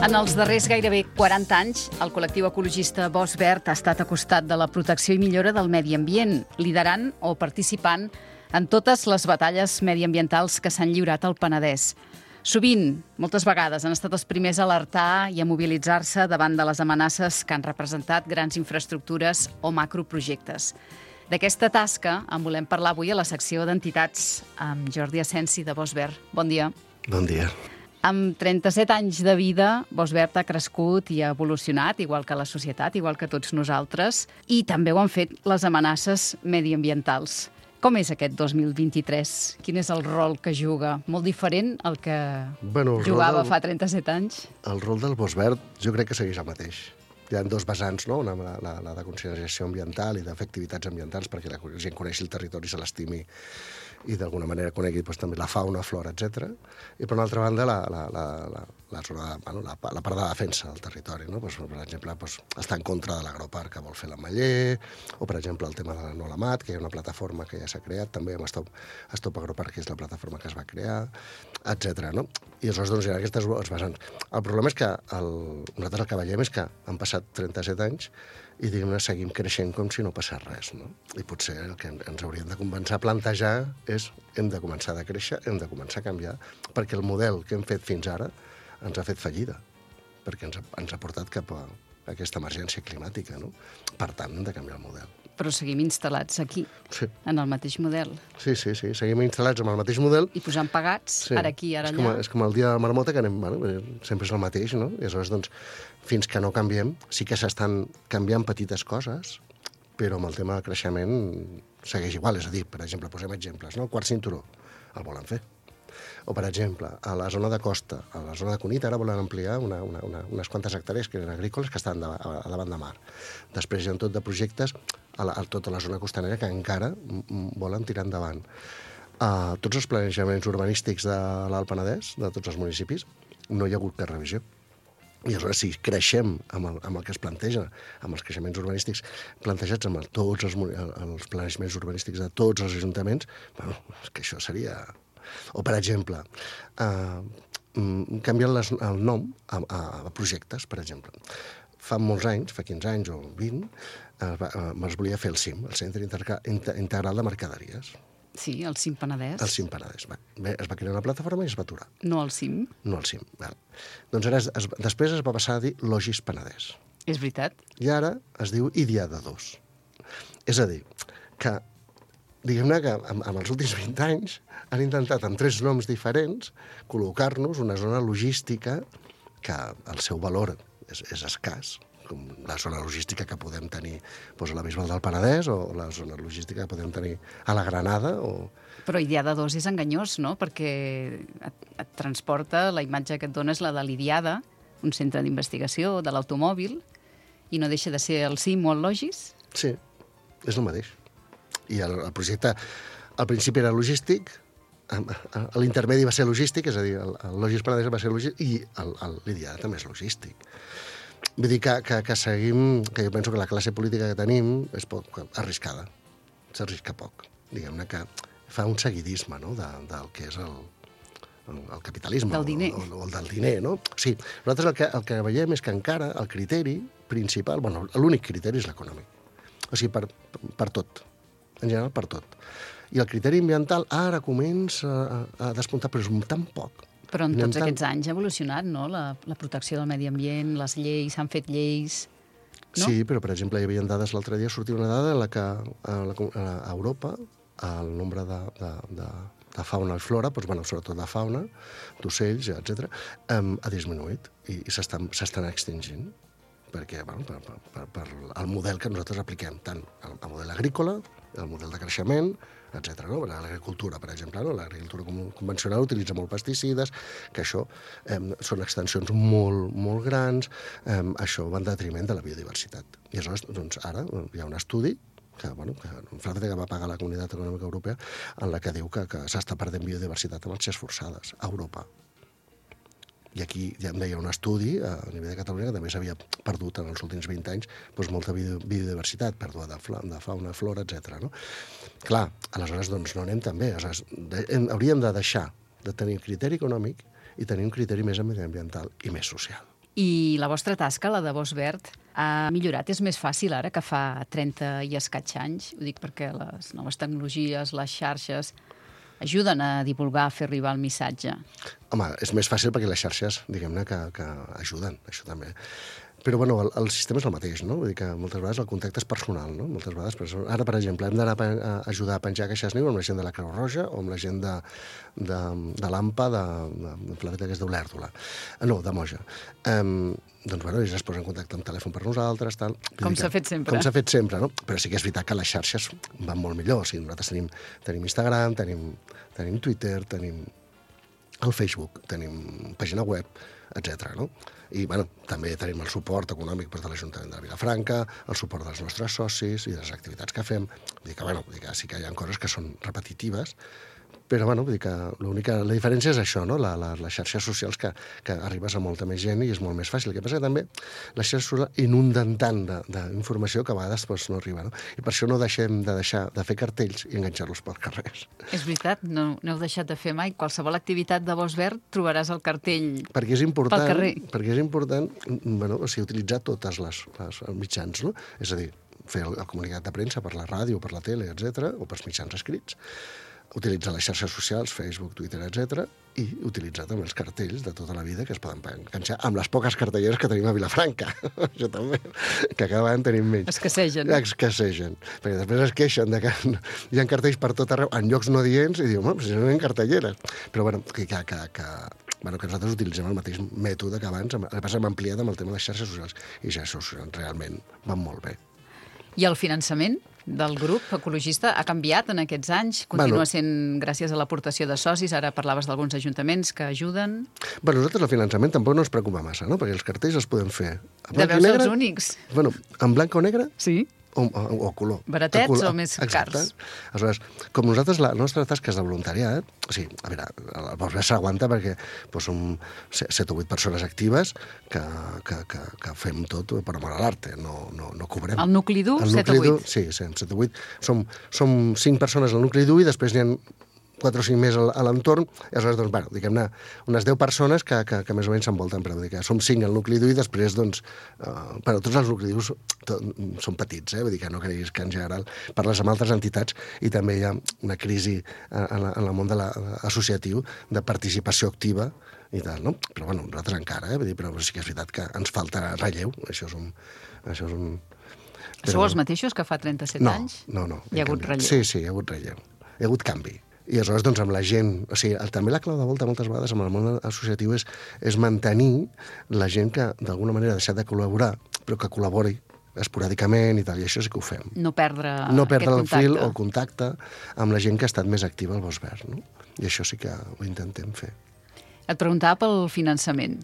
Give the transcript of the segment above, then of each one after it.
En els darrers gairebé 40 anys, el col·lectiu ecologista Bosc Verd ha estat a costat de la protecció i millora del medi ambient, liderant o participant en totes les batalles mediambientals que s'han lliurat al Penedès. Sovint, moltes vegades, han estat els primers a alertar i a mobilitzar-se davant de les amenaces que han representat grans infraestructures o macroprojectes. D'aquesta tasca en volem parlar avui a la secció d'entitats amb Jordi Asensi de Bosc Verd. Bon dia. Bon dia. Amb 37 anys de vida, Bosc Verd ha crescut i ha evolucionat, igual que la societat, igual que tots nosaltres, i també ho han fet les amenaces mediambientals. Com és aquest 2023? Quin és el rol que juga? Molt diferent al que jugava fa 37 anys? El rol del Bosc Verd jo crec que segueix el mateix. Hi ha dos vessants, no? Una, la de consideració ambiental i de fer activitats ambientals perquè la gent coneixi el territori, se l'estimi i d'alguna manera conegui també la fauna, flora, etc. I per una altra banda la zona, la part de defensa del territori, no? Per exemple, estar en contra de l'agroparc que vol fer l'Ametller, o per exemple el tema de la No la Mat, que hi ha una plataforma que ja s'ha creat, també amb Stop Agroparc, que és la plataforma que es va crear, etc. No? I aleshores doncs, hi ha aquestes vessants. El problema és que nosaltres el que veiem és que han passat 37 anys i diguem-ne seguim creixent com si no passés res, no? I potser el que ens hauríem de començar a plantejar és hem de començar a créixer, hem de començar a canviar, perquè el model que hem fet fins ara ens ha fet fallida, perquè ens ha portat cap a aquesta emergència climàtica, no? Per tant, hem de canviar el model. Però seguim instal·lats aquí, sí, en el mateix model. Sí, seguim instal·lats en el mateix model. I posant pagats, sí, ara aquí, ara allà. És com el dia de la marmota, que anem, sempre és el mateix, no? I aleshores, doncs, fins que no canviem, sí que s'estan canviant petites coses, però amb el tema del creixement segueix igual. És a dir, per exemple, posem exemples, no? El quart cinturó el volen fer. O, per exemple, a la zona de costa, a la zona de Cunit, ara volen ampliar unes quantes hectàrees que eren agrícoles que estan a davant de mar. Després hi ha tot de projectes a tota la zona costanera que encara volen tirar endavant. Tots els planejaments urbanístics de l'Alt Penedès, de tots els municipis, no hi ha hagut cap revisió. I aleshores, si creixem amb el que es planteja, amb els creixements urbanístics plantejats amb tots els planejaments urbanístics de tots els ajuntaments, és que això seria... O, per exemple, canviant el nom a projectes, per exemple. Fa molts anys, fa 15 anys o 20, es volia fer el CIM, el Centre Integral de Mercaderies. Sí, el CIM Penedès. El CIM Penedès. Es va crear una plataforma i es va aturar. No el CIM? No el CIM. Doncs ara després es va passar a dir Logis Penedès. És veritat. I ara es diu Idiada 2. És a dir, que diguem-ne que en els últims 20 anys han intentat amb 3 noms diferents col·locar-nos una zona logística que el seu valor és escàs, com la zona logística que podem tenir a la Bisbal del Penedès o la zona logística que podem tenir a la Granada. Però Idiada 2 és enganyós, no? Perquè et transporta, la imatge que et dona és la de l'Idiada, un centre d'investigació de l'automòbil, i no deixa de ser el CIM o el Logis? Sí, és el mateix. I el projecte al principi era logístic, l'intermedi va ser logístic, és a dir, el Logis Penedès va ser logístic, i l'Idiada també és logístic. Vull dir que seguim, que jo penso que la classe política que tenim és poc arriscada, s'arrisca poc. Diguem-ne que fa un seguidisme, no?, del que és el capitalisme. Del diner. O el del diner, no? Sí, nosaltres el que veiem és que encara el criteri principal, l'únic criteri és l'econòmic. O sigui, per tot. En general, per tot. I el criteri ambiental ara comença a despuntar, però és tan poc. Però en tots aquests anys ha evolucionat, no?, la protecció del medi ambient, les lleis, s'han fet lleis... No? Sí, però, per exemple, hi havia dades l'altre dia, sortia una dada en la que a Europa el nombre de fauna i flora, sobretot de fauna, d'ocells, etc., ha disminuït i s'estan extingint. Perquè, per el model que nosaltres apliquem, tant el model agrícola, el model de creixement, etc. No? L'agricultura, per exemple, no? L'agricultura convencional utilitza molt pesticides, que això són extensions molt, molt grans, això va en detriment de la biodiversitat. I aleshores, doncs, ara hi ha un estudi que França va pagar la Comunitat Econòmica Europea en la que diu que s'està perdent biodiversitat amb marxes forçades a Europa. I aquí ja em deia un estudi a nivell de Catalunya que també s'havia perdut en els últims 20 anys molta biodiversitat, pèrdua de fauna, flora, etc. No? Clar, aleshores doncs, no anem tan bé. Hauríem de deixar de tenir criteri econòmic i tenir un criteri més mediambiental i més social. I la vostra tasca, la de Bosch Verd, ha millorat? És més fàcil ara que fa 30 i escaig anys? Ho dic perquè les noves tecnologies, les xarxes, ajuden a divulgar, a fer arribar el missatge. Home, és més fàcil perquè les xarxes, diguem-ne, que ajuden, això també. Però, bueno, el sistema és el mateix, no? Vull dir que moltes vegades el contacte és personal, no? Moltes vegades, ara, per exemple, hem d'anar a ajudar a penjar caixes niu amb la gent de la Creu Roja o amb la gent de l'AMPA, de Planeta, que és d'Olèrdola. No, de Moja. Doncs, bueno, ells es posen en contacte amb telèfon per nosaltres, tal. Com s'ha fet sempre. Com s'ha fet sempre, no? Però sí que és veritat que les xarxes van molt millor. O sigui, nosaltres tenim Instagram, tenim Twitter, tenim el Facebook, tenim pàgina web, etc. No? I, bueno, també tenim el suport econòmic de l'Ajuntament de Vilafranca, el suport dels nostres socis i de les activitats que fem. Vull dir que sí que hi ha coses que són repetitives, però, bueno, vull dir que la diferència és això, no? Les xarxes socials que arribes a molta més gent i és molt més fàcil. El que passa que també les xarxes socials inunden tant d'informació que a vegades no arriba, no? I per això no deixem de fer cartells i enganxar-los pels carrers. És veritat, no heu deixat de fer mai. Qualsevol activitat de Bosch Verd trobaràs el cartell perquè és important, pel carrer. Perquè és important, bueno, o sigui, utilitzar tots els mitjans, no? És a dir, fer el comunicat de premsa per la ràdio, per la tele, etc., o pels mitjans escrits, utilitzar les xarxes socials, Facebook, Twitter, etc., i utilitzar també els cartells de tota la vida que es poden enganxar amb les poques cartelleres que tenim a Vilafranca. Això també, que cada vegada en tenim menys. Escassegen. Escassegen. Perquè després es queixen de que hi ha cartells per tot arreu, en llocs no adients, i diuen, si no hi ha cartelleres. Però, bueno, que nosaltres utilitzem el mateix mètode que abans, el que passa hem ampliat amb el tema de les xarxes socials, i les xarxes socials realment van molt bé. I el finançament del grup ecologista ha canviat en aquests anys? Continua sent gràcies a l'aportació de socis? Ara parlaves d'alguns ajuntaments que ajuden. Nosaltres el finançament tampoc no ens preocupa massa, no? Perquè els cartells els podem fer deveu ser els únics. En blanc o negre? Sí. O color. Baratets o més cars? Aleshores, com nosaltres, la nostra tasca és de voluntariat, o sigui, a veure, el Bosch Verd s'aguanta perquè som 7 o 8 persones actives que fem tot per amor a l'arte, no cobrem. El nucli dur, 7 o 8? Sí, 7 o 8. Som 5 persones al nucli dur i després n'hi ha 4 o 5 més a l'entorn, i aleshores, doncs, bueno, diguem-ne, unes 10 persones que més o menys s'envolten, però vull dir que som 5 al nucli dur i després, doncs, però tots els nuclis durs són petits, vull dir que no creguis que en general parles amb altres entitats i també hi ha una crisi en el món associatiu de participació activa i tal, no? Però, bueno, nosaltres encara, vull dir, però sí que és veritat que ens falta relleu, això és un... Sou els mateixos que fa 37 anys? No. Hi ha hagut relleu? Sí, hi ha hagut relleu. Hi ha hagut canvi. I aleshores, doncs, amb la gent... O sigui, també la clau de volta moltes vegades amb el món associatiu és mantenir la gent que d'alguna manera ha deixat de col·laborar, però que col·labori esporàdicament i tal, i això sí que ho fem. No perdre el fil o el contacte amb la gent que ha estat més activa al Bosch Verd, no? I això sí que ho intentem fer. Et preguntava pel finançament.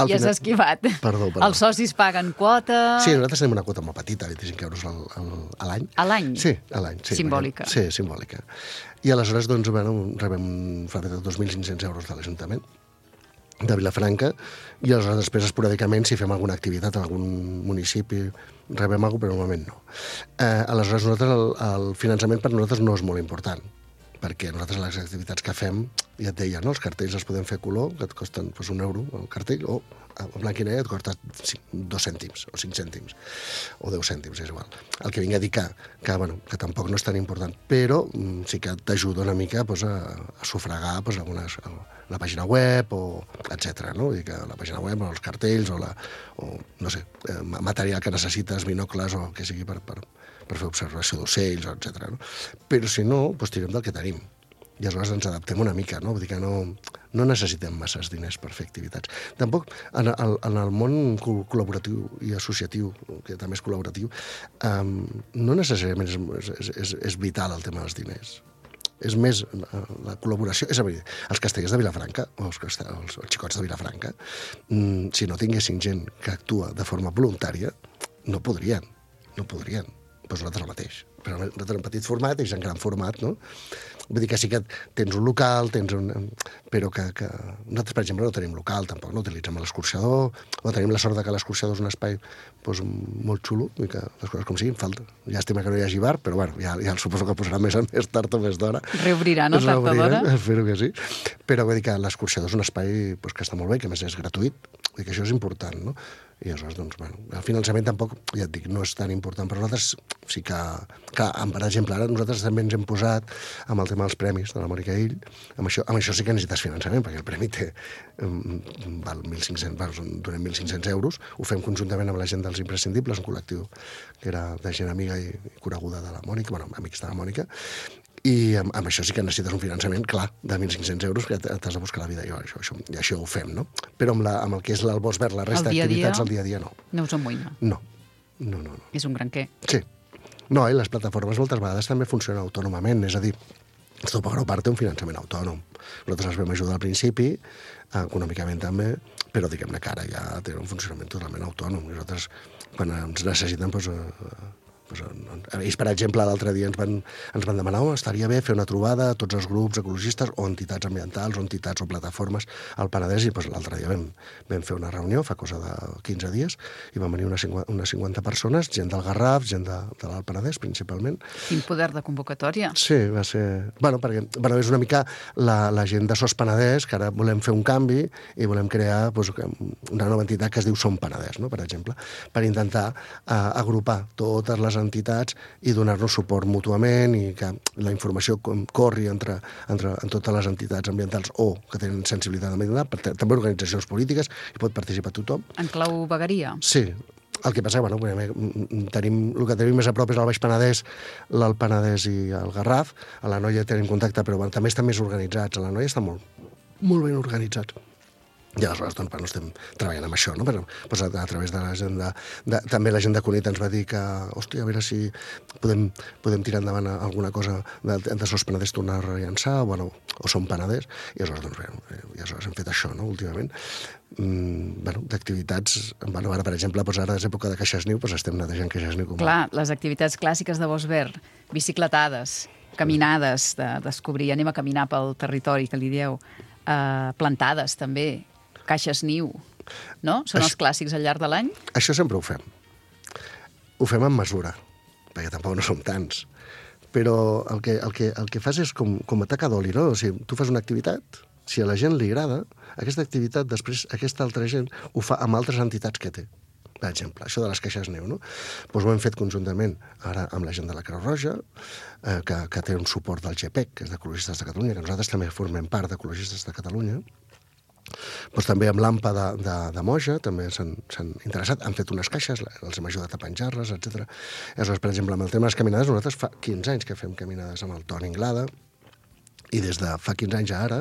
I has esquivat. Perdó. Els socis paguen quota... Sí, nosaltres tenim una quota molt petita, 25 euros a l'any. A l'any? Sí, a l'any. Sí, simbòlica. Sí, simbòlica. I aleshores, doncs, rebem 2.500 euros de l'Ajuntament de Vilafranca, i aleshores després esporàdicament, si fem alguna activitat en algun municipi, rebem alguna cosa, però normalment no. Aleshores, el finançament per nosaltres no és molt important, perquè nosaltres les activitats que fem, ja et deia, no? Els cartells els podem fer color, que et costen €1 el cartell, o en blanc i negre et costa 2 cèntims, o 5 cèntims, o 10 cèntims, és igual. El que vinc a dir que tampoc no és tan important, però sí que t'ajuda una mica a sufragar la pàgina web, etc. No? Vull dir que la pàgina web, o els cartells, o no sé, material que necessites, binocles, o el que sigui per fer observació d'ocells, etc. No? Però si no, doncs tirem del que tenim. I aleshores ens adaptem una mica, no? Vull dir que no necessitem masses diners per fer activitats. Tampoc en el món col·laboratiu i associatiu, que també és col·laboratiu, no necessàriament és vital el tema dels diners. És més la col·laboració. És a dir, els castellers de Vilafranca, o els xicots de Vilafranca, si no tinguessin gent que actua de forma voluntària, no podrien. Doncs nosaltres el mateix. Però nosaltres en petit format, ells en gran format, no? Vull dir que sí que tens un local, però que nosaltres, per exemple, no tenim local, tampoc no utilitzem l'escorxador, o tenim la sort que l'escorxador és un espai molt xulo, i que les coses com siguin, falta. Llàstima que no hi hagi bar, però bueno, ja suposo que posarà més tard o més d'hora. Reobrirà, no? Tard o d'hora? Espero que sí. Però vull dir que l'escorxador és un espai que està molt bé, que a més és gratuït, Vull dir que això és important, no? I aleshores, doncs, bueno, el finançament tampoc, ja et dic, no és tan important per nosaltres. Sí que, clar, per exemple, ara nosaltres també ens hem posat amb el tema dels premis de la Mònica Ill. Amb això sí que necessites finançament, perquè el premi val 1.500, donem 1.500 euros. Ho fem conjuntament amb la gent dels imprescindibles, un col·lectiu que era de gent amiga i coneguda de la Mònica, bueno, amics de la Mònica. I amb això sí que necessites un finançament, clar, de 1.500 euros, que t'has de buscar la vida. I això ho fem, no? Però amb el que és el Bosch Verd, la resta d'activitats, el dia a dia no. No us amoïna. No. És un gran què. Sí. No, i les plataformes moltes vegades també funcionen autònomament, és a dir, Stopagro part té un finançament autònom. Nosaltres els vam ajudar al principi, econòmicament també, però diguem-ne que ara ja té un funcionament totalment autònom. Nosaltres, quan ens necessiten, doncs, ells, per exemple, l'altre dia ens van demanar estaria bé fer una trobada a tots els grups ecologistes o entitats ambientals o entitats o plataformes al Penedès, i l'altre dia vam fer una reunió, fa cosa de 15 dies, i van venir unes 50 persones, gent del Garraf, gent de l'Alt Penedès, principalment. Quin poder de convocatòria. Sí, va ser... perquè és una mica la gent de SOS Penedès, que ara volem fer un canvi i volem crear una nova entitat que es diu Som Penedès, no?, per exemple, per intentar agrupar totes les entitats i donar-nos suport mútuament i que la informació corri entre totes les entitats ambientals o que tenen sensibilitat ambiental, també organitzacions polítiques, i pot participar tothom. En clau vegueria? Sí. El que passa, el que tenim més a prop és el Baix Penedès, l'Alt Penedès i el Garraf. A l'Anoia tenim contacte, però també estan més organitzats. A l'Anoia estan molt ben organitzats. I aleshores, doncs, estem treballant amb això, no? Però a través de la gent també la gent de Cunit ens va dir que, hòstia, a veure si podem tirar endavant alguna cosa de SOS Penedès, tornar a rellançar, o Som Penedès, i aleshores hem fet això, no?, últimament. D'activitats, ara, per exemple, ara és època de Caixes Niu, estem netejant Caixes Niu. Clar, les activitats clàssiques de Bosch Verd, bicicletades, caminades, de descobrir, anem a caminar pel territori, que li dieu, plantades, també, Caixes Niu, no? Són els clàssics al llarg de l'any? Això sempre ho fem. Ho fem amb mesura, perquè tampoc no som tants. Però el que fas és com a taca d'oli, no? O sigui, tu fas una activitat, si a la gent li agrada, aquesta activitat, després aquesta altra gent ho fa amb altres entitats que té. Per exemple, això de les Caixes Niu, no? Doncs ho hem fet conjuntament ara amb la gent de la Creu Roja, que té un suport del GPEC, que és d'Ecologistes de Catalunya, que nosaltres també formem part d'Ecologistes de Catalunya. Doncs també amb l'AMPA de Moja també s'han interessat, han fet unes caixes, els hem ajudat a penjar-les, etc. Aleshores, per exemple, amb el tema de les caminades, nosaltres fa 15 anys que fem caminades amb el Toni Inglada, i des de fa 15 anys a ara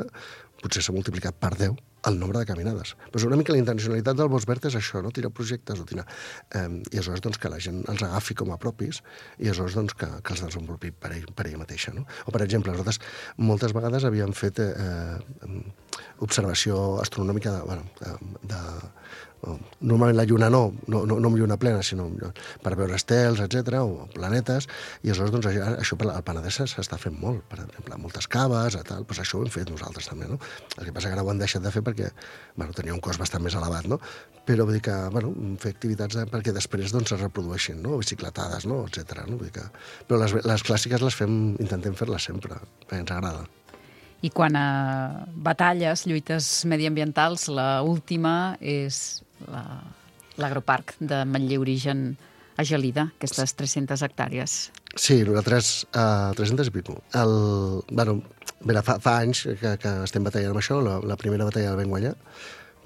potser s'ha multiplicat per 10 el nombre de caminades. Però una mica la intencionalitat del Bosch Verd és això, no? Tirar projectes o tirar... I aleshores, doncs, que la gent els agafi com a propis i aleshores, doncs, que els desenvolupi per ella mateixa, no? O, per exemple, nosaltres moltes vegades havíem fet observació astronòmica normalment la lluna no amb lluna plena, sinó per veure estels, etc., o planetes, i aleshores, doncs, això al Penedès s'està fent molt, per exemple, moltes caves, doncs això ho hem fet nosaltres també, no? El que passa que ara ho han deixat de fer perquè tenia un cost bastant més elevat, no? Però vull dir que, fer activitats perquè després doncs es reprodueixin, no? Bicicletades, no? Etc., no? Vull dir que... Però les clàssiques les intentem fer-les sempre, perquè ens agrada. I quan a batalles, lluites mediambientals, l'última és l'agroparc de Manlleu Origen a Gelida, aquestes 300 hectàrees. Sí, nosaltres 300 i pico. Fa anys que estem batallant amb això, la primera batalla la vam guanyar,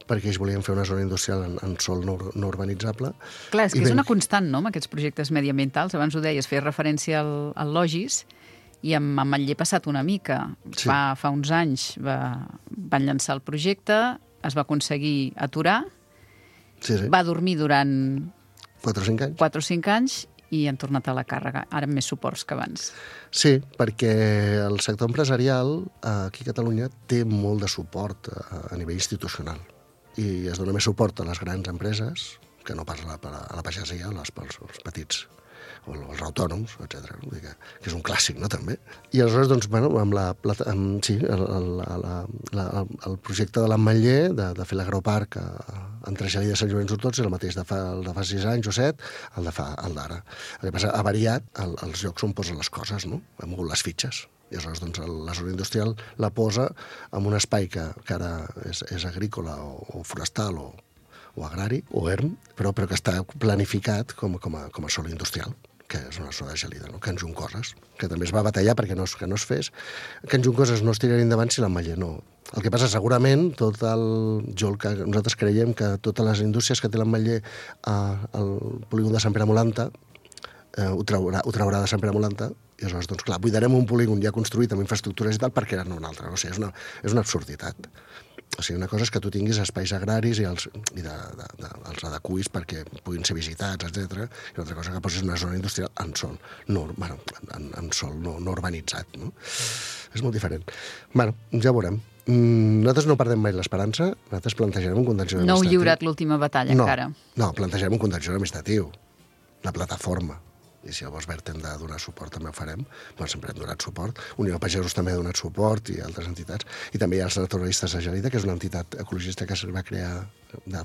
perquè ells volien fer una zona industrial en sòl no urbanitzable. Clar, és que és una constant, no?, amb aquests projectes mediambientals. Abans ho deies, feies referència al Logis, i amb Manlleu ha passat una mica. Sí. Fa uns anys van llançar el projecte, es va aconseguir aturar, va dormir durant 4 o 5 anys. 4 o 5 anys i han tornat a la càrrega, ara amb més suports que abans. Sí, perquè el sector empresarial aquí a Catalunya té molt de suport a nivell institucional i es dona més suport a les grans empreses que no pas a la pagesia, als petits o els autònoms, etc. Que és un clàssic, no?, també. I aleshores, doncs, el projecte de l'Ametller, de fer l'agroparc entre Gelida i Sant Llorenç d'Hortons, és el mateix de fa 6 anys o 7, el d'ara. El que passa, ha variat els llocs on posen les coses, no? Ha mogut les fitxes. I aleshores, doncs, la zona industrial la posa en un espai que ara és agrícola o forestal o agrari, o ERM, però que està planificat com a sòl industrial, que és una zona gelida, no? Que en Juncoses, que també es va batallar perquè no es fes, que en Juncoses no es tiraria endavant si l'Ametller no. El que passa, segurament, nosaltres creiem que totes les indústries que té l'Ametller al polígon de Sant Pere Molanta ho traurà de Sant Pere Molanta, i aleshores, doncs clar, buidarem un polígon ja construït amb infraestructures i tal perquè era un altre. No sé, és una absurditat. O sigui, una cosa és que tu tinguis espais agraris i els adequis perquè puguin ser visitats, etc. I una altra cosa que posis una zona industrial en sòl no urbanitzat. No? És molt diferent. Bueno, ja veurem. Nosaltres no perdem mai l'esperança, nosaltres plantejarem un contenciós administratiu. No heu lliurat l'última batalla encara. No, plantejarem un contenciós administratiu, la plataforma. I si al Bosch Verd hem de donar suport també ho farem, bueno, sempre hem donat suport, Unió de Pagesos també ha donat suport i altres entitats, i també hi ha els naturalistes de Gelida, que és una entitat ecologista que es va crear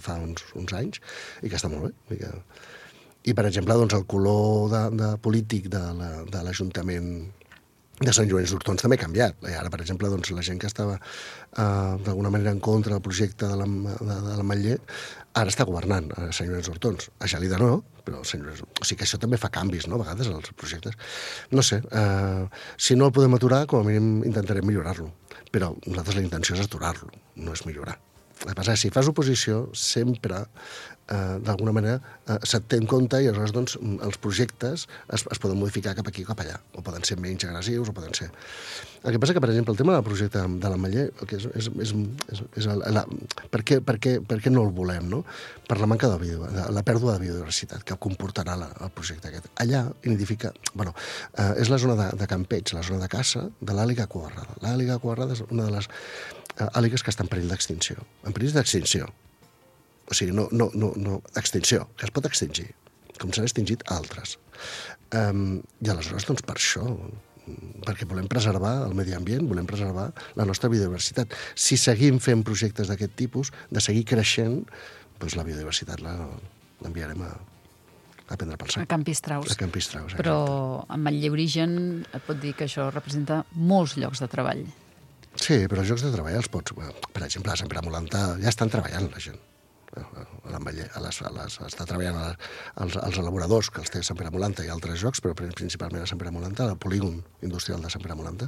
fa uns anys i que està molt bé. I per exemple, doncs, el color polític de l'Ajuntament de Sant Llorenç d'Hortons també ha canviat. I ara, per exemple, doncs, la gent que estava d'alguna manera en contra del projecte de l'Ametller ara està governant a Sant Llorenç d'Hortons. A Gelida no, però a Sant Llorenç... O sigui que això també fa canvis, no?, a vegades, als projectes. No sé, si no el podem aturar, com a mínim intentarem millorar-lo. Però nosaltres la intenció és aturar-lo, no és millorar. El que passa és que si fas oposició, sempre, d'alguna manera, se't té en compte i aleshores doncs, els projectes es poden modificar cap aquí o cap allà, o poden ser menys agressius, o poden ser... El que passa que, per exemple, el tema del projecte de l'Ametller, per què no el volem, no? Per la manca la pèrdua de biodiversitat que comportarà el projecte aquest. Allà nidifica... Bueno, és la zona de campeig, la zona de caça de l'àliga coarrada. L'àliga coarrada és una de les àligues que està en perill d'extinció. En perill d'extinció. O sigui, no extinció, que es pot extingir, com s'han extingit altres. I aleshores, doncs, per això, perquè volem preservar el medi ambient, volem preservar la nostra biodiversitat. Si seguim fent projectes d'aquest tipus, de seguir creixent, doncs la biodiversitat l'enviarem a prendre pel sac. A Camp Pistraus. A Camp Pistraus, però amb el Lleorigen et pot dir que això representa molts llocs de treball. Sí, però els llocs de treball els pots... Per exemple, a Sant Pere Molantà ja estan treballant la gent. A l'Ametller, està treballant els elaboradors, que els té Sant Pere Molantà i altres llocs, però principalment a Sant Pere Molantà, al polígon industrial de Sant Pere Molantà.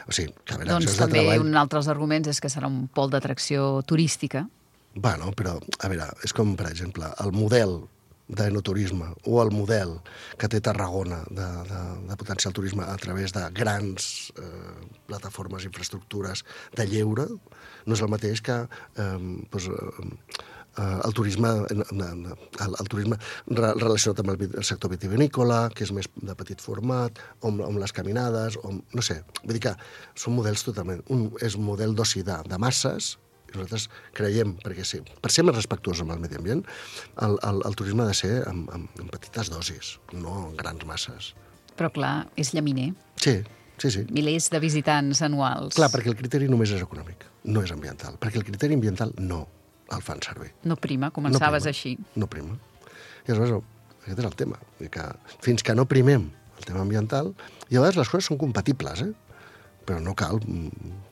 O sigui, que a veure, doncs també un altre dels arguments és que serà un pol d'atracció turística. Bueno, però, a veure, és com, per exemple, el model d'enoturisme o el model que té Tarragona de potenciar el turisme a través de grans plataformes, infraestructures de lleure, no és el mateix que el turisme relacionat amb el sector vitivinícola, que és més de petit format, o amb les caminades, no sé, vull dir que són models totalment... Un és un model d'oci de masses, i nosaltres creiem, perquè sí, per ser més respectuosos amb el medi ambient, el turisme ha de ser en petites dosis, no en grans masses. Però clar, és llaminer. Sí. Milers de visitants anuals. Clar, perquè el criteri només és econòmic, no és ambiental. Perquè el criteri ambiental no el fan servir. No prima, començaves així. No prima. I aleshores, aquest és el tema. Que fins que no primem el tema ambiental, i a vegades les coses són compatibles, però no cal.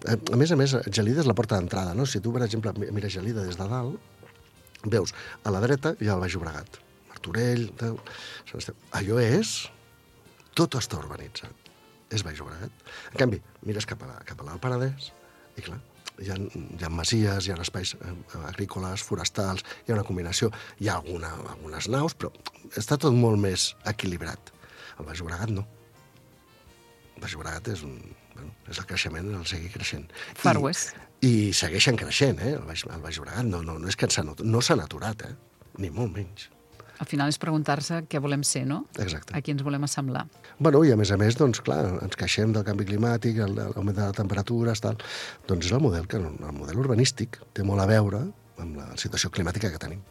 A més, Gelida és la porta d'entrada, no? Si tu, per exemple, mires Gelida des de dalt, veus a la dreta hi ha el Baix Llobregat, Martorell, allò és... Tot està urbanitzat. És Baix Llobregat. En canvi, mires cap a l'Alt Penedès i, clar, hi ha masies, hi ha espais agrícoles, forestals, hi ha una combinació, hi ha algunes naus, però està tot molt més equilibrat. El Baix Llobregat no. El Baix Llobregat és el creixement, el seguir creixent. Far West. I segueixen creixent, el Baix Llobregat. No és que no s'han aturat, ni molt menys. Al final és preguntar-se què volem ser, no? Exacte. A qui ens volem assemblar. Bueno, i a més, doncs, clar, ens queixem del canvi climàtic, l'augment de la temperatura, tal. Doncs és el model urbanístic té molt a veure amb la situació climàtica que tenim.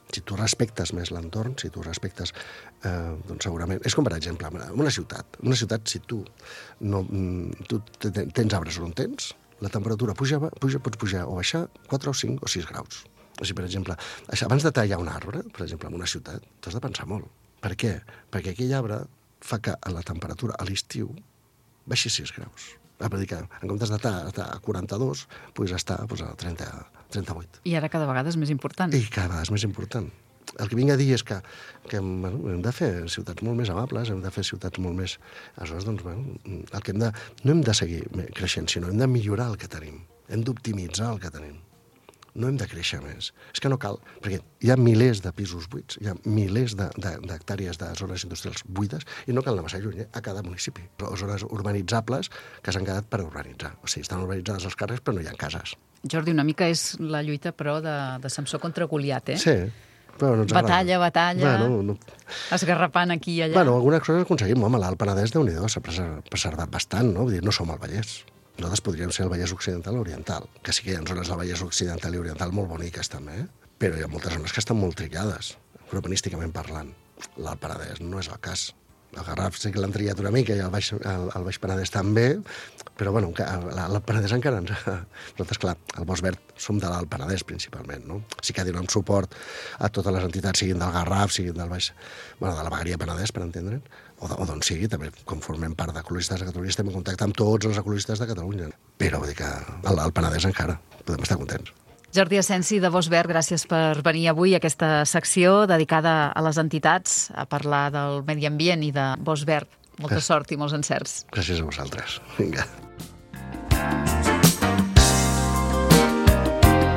Si tu respectes més l'entorn, si tu respectes, doncs segurament... És com, per exemple, una ciutat. Una ciutat, si tu tens arbres on tens, la temperatura pots pujar o baixar 4 o 5 o 6 graus. O sigui, per exemple, abans de tallar un arbre, per exemple, en una ciutat, t'has de pensar molt. Per què? Perquè aquell arbre fa que la temperatura a l'estiu baixi 6 graus. Per dir que en comptes d'estar a 42, puguis estar a 38. I ara cada vegada és més important. I cada vegada és més important. El que vinc a dir és que hem de fer ciutats molt més amables, hem de fer ciutats molt més... Aleshores, doncs, el que no hem de seguir creixent, sinó hem de millorar el que tenim. Hem d'optimitzar el que tenim. No hem de créixer més. És que no cal, perquè hi ha milers de pisos buits, hi ha milers d'hectàrees de zones industrials buides i no cal anar massa lluny, a cada municipi. Zones urbanitzables que s'han quedat per urbanitzar. O sigui, estan urbanitzades els carrers, però no hi ha cases. Jordi, una mica és la lluita, però, de Samsó contra Goliat, Sí, però no ens agrada. Batalla, esgarrapant aquí i allà. Algunes coses aconseguim. Home, l'Alt Penedès, Déu-n'hi-do, s'ha preservat bastant, no? Vull dir, no som el Vallès. Nosaltres podríem ser el Vallès Occidental i Oriental, que sí que hi ha zones del Vallès Occidental i Oriental molt boniques, també, però hi ha moltes zones que estan molt trillades, urbanísticament parlant. L'Alt Penedès no és el cas. El Garraf sí que l'han trillat una mica i el Baix Penedès també, però bueno, l'Alt Penedès encara ens... Nosaltres, clar, el Bosc Verd som de l'Alt Penedès principalment, no? Sí que donem suport a totes les entitats, siguin del Garraf, siguin del Baix... Bueno, de la Vegueria Penedès, per entendre'n, o d'on sigui, també, com formem part d'ecologistes de Catalunya, estem en contacte amb tots els ecologistes de Catalunya. Però vull dir que al Penedès encara podem estar contents. Jordi Asensi, de Bosc Verd, gràcies per venir avui a aquesta secció dedicada a les entitats, a parlar del medi ambient i de Bosc Verd. Molta sort i molts encerts. Gràcies a vosaltres. Vinga.